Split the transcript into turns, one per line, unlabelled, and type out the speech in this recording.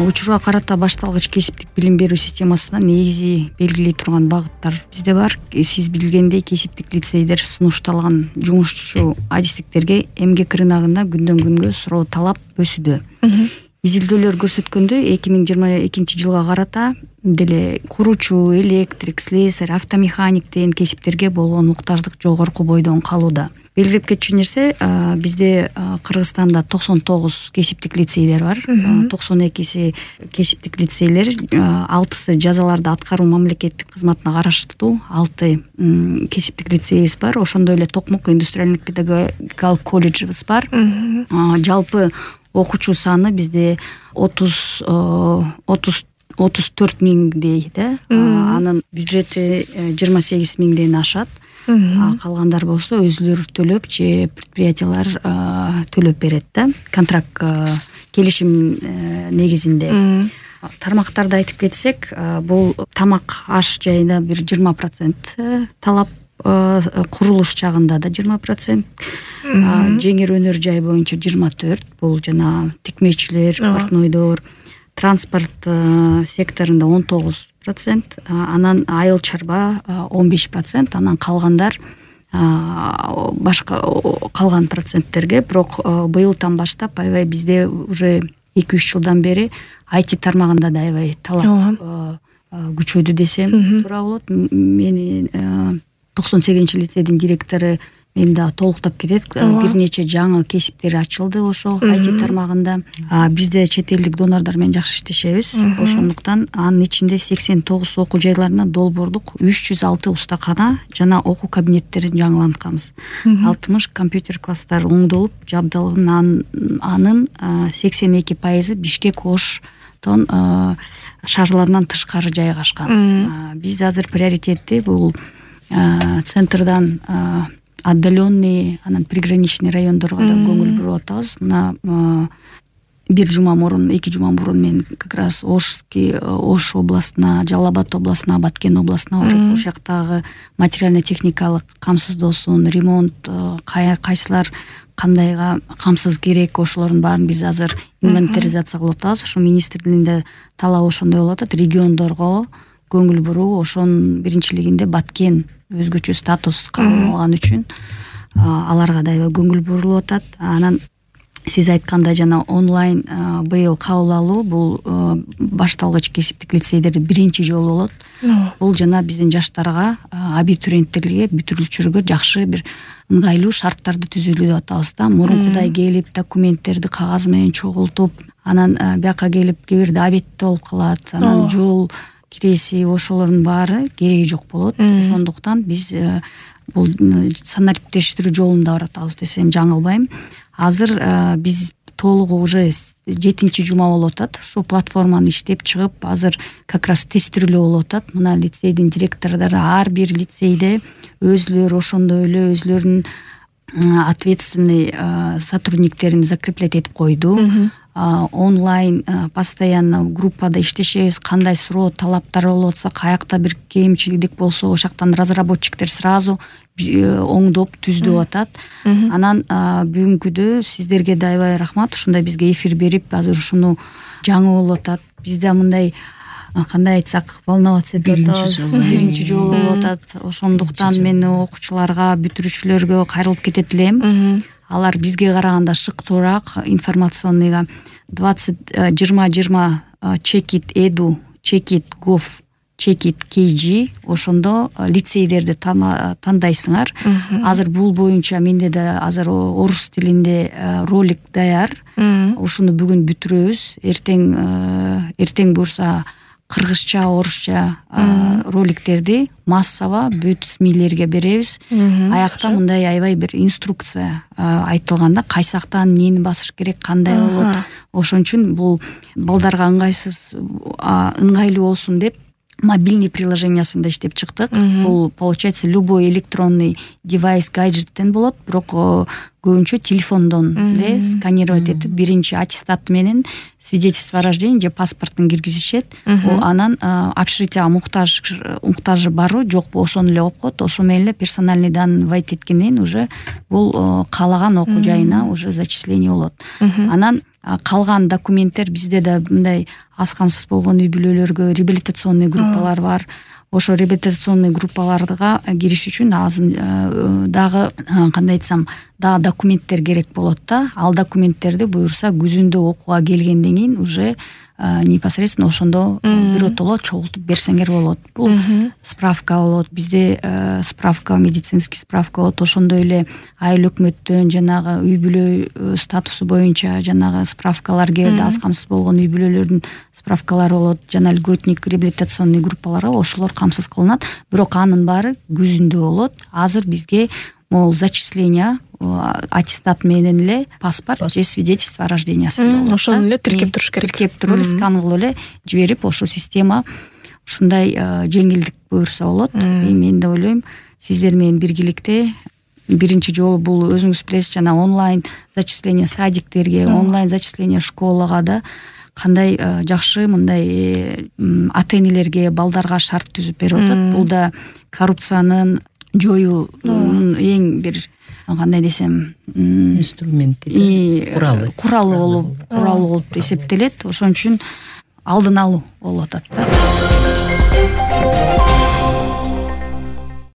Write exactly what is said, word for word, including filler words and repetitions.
учурга карата башталгыч кесиптик билим берүү системасында негизи белгилей турган багыттар бизде бар. Сиз билгендей, кесиптик лицейдер сунушталган жумушчу адистиктерге эмгек рыногунда күндөн күнгө суроо талап өсүүдө. Изилдөөлөр көрсөткөндөй, эки миң жыйырма экинчи жылга карата деле куруучу, электрик, слесарь, автомеханик деген кесиптерге болгон муктаждык жогорку бойдон калууда. Белгилеп кетчү нерсе, бизде Кыргызстанда токсон тогуз кесиптик лицейлер бар. токсон экиси кесиптик лицейлер, алтысы жазаларды аткаруу мамлекеттик кызматына караштуу, алты кесиптик лицейибиз бар. Ошондой эле Токмок индустриалдык педагогикалык колледжибиз бар. Жалпы окуучу саны бизде отуз отуз төрт миңдей да. Анын бюджети жыйырма сегиз миңден ашат. Калгандар болсо өзүлөрү төлөп же предприятиялар төлөп берет да. Контракт келишим негизинде. Тармактарды айтып кетсек, бул тамак аш жайына бир жыйырма процент талап, курулуш жагында да жыйырма процент, жеңил өнөр жай боюнча жыйырма төрт, бул жана тикмечилер, портнойдор, транспорт секторунда он тогуз процент, анан айыл чарба он беш процент, анан калгандар башка калган проценттерге. Бирок быйылдан баштап аябай бизде уже эки үч жылдан бери ай ти тармагында да аябай талап күчөдү десем туура болот. Мени токсон сегизинчи лицейдин директору мени да толуктап кетет. Бир нече жаңы кесиптер ачылды ошо ай ти тармагында. Бизде чет элдик донордор менен жакшы иштешебиз. Ошондуктан анын ичинде сексен тогуз окуу жайларына долбоордук үч жүз алты устакана жана окуу кабинеттерин жаңылантканбыз. алтымыш компьютер класстар оңдолуп жабдылган, анын сексен эки пайызы Бишкек Оштон шаарларынан тышкары жайгашкан. Биз азыр приоритетти бул центрдан отдаленный, анан приграничный райондорго да көңүл буруп атабыз. Мына бир жума мурун, эки жума мурун мен как раз Ошский, Ош областына, Жалал Абад областына, Баткен областына барып, ошол жактагы материально-техникалык камсыздоосун, ремонт, кайсылар кандайга камсыз керек, ошолордун баарын биз азыр инвентаризация кылып атабыз. Ошо министрлигинде талап ошондой болуп атат, региондорго көңүл буруу. Ошонун биринчилигинде Баткен өзгөчө статус кабыл алган үчүн аларга да көңүл бурулуп атат. Анан сиз айткандай жана онлайн быйыл кабыл алуу бул башталгыч кесиптик лицейдерде биринчи жолу болот. Бул жана биздин жаштарга, абитуриенттерге, бүтүрүүчүлөргө жакшы бир ыңгайлуу шарттарды түзүүлү деп атабыз да. Мурункудай келип документтерди кагаз менен чогултуп, анан бияка келип кээ бирде абетте болуп калат, анан жол киреси, ошолордун баары кереги жок болот. Ошондуктан биз бул санариптештирүү жолунда баратабыз десем жаңылбайм. Азыр биз толугу уже жетинчи жума болуп атат. Ошо платформаны иштеп чыгып, азыр как раз тестирүүлөө болуп атат. Мына лицейдин директордору ар бир лицейде өзүлөрү ошондой эле өзүлөрүнүн ответственный сотрудниктерин закреплять этип койду. Онлайн постоянно группада иштешебиз. Кандай суроо талаптар болуп атса, каякта бир кемчилик болсо, ошол жактан разработчиктер сразу оңдоп түздөп атат. Анан бүгүнкүдө сиздерге да аябай рахмат, ушундай бизге эфир берип, азыр ушуну жаңы болуп атат. Бизде мындай кандай айтсак, волноваться деп атабыз. Биринчи жолу болуп атат. Ошондуктан мен окуучуларга, бүтүрүүчүлөргө кайрылып кетет элем. Алар бизге караганда шыктуураак, информационныйга двадцать жыйырма жыйырма чекит эду, чекит гов, чекит kg ошондо лицейдерди тандайсыңар. Азыр бул боюнча менде да азыр орус тилинде ролик даяр. Ушуну бүгүн бүтүрөбүз. Эртең эртең буюрса кыргызча, орусча роликтерди массово бүт смилерге беребиз. Аякта мындай аябай бир инструкция айтылганда, кайсы жактан эмнени басыш керек, кандай болот. Ошон үчүн бул балдарга ыңгайсыз, ыңгайлуу болсун деп мобильный приложениясында иштеп чыктык. Бул получается любой электронный девайс гаджеттен болот, бирок көбүнчө телефондон эле сканировать этип биринчи аттестат менен свидетельство о рождении же паспортун киргизишет. Анан общежитияга муктаж муктажы барбы жокпу ошону эле окуп коет. Ошо менен эле персональный данный вводить эткенден кийин уже бул каалаган окуу жайына уже зачисление болот. Анан калган документтер бизде да мындай аз камсыз болгон үй бүлөлөргө реабилитационный группалар бар. Ошо реабилитационный группаларга кириш үчүн азыр дагы кандай айтсам дагы документтер керек болот да. Ал документтерди буюрса күзүндө окууга келгенден кийин уже непосредственно ошондо биротоло чогултуп берсеңер болот. Бул справка болот. Бизде справка, медицинский справка болот. Ошондой эле айыл өкмөттөн жанагы үй бүлө статусу боюнча жанагы справкалар келди. Аз камсыз болгон үй бүлөлөрдүн справкалары болот. Жана льготник реабилитационный группаларга ошолор камсыз кылынат. Бирок анын баары күзүндө болот. Азыр бизге могул зачисление аттестат менен эле паспорт же свидетельство о рождении болот.
Ошону эле тиркеп туруш керек.
Тиркеп туруп эле скан кылып эле жиберип, ошо система ушундай жеңилдик буюрса болот. Мен да ойлойм, сиздер менен биргеликте биринчи жолу бул өзүңүз билесиз, жана онлайн зачисление садиктерге, онлайн зачисление школага да кандай жакшы мындай ата энелерге, балдарга шарт түзүп берип атат. Бул да коррупциянын жоюунун эң бир кандай десем инструменти, куралы куралы болуп куралы болуп эсептелет. Ошон үчүн алдын алуу болуп атат да.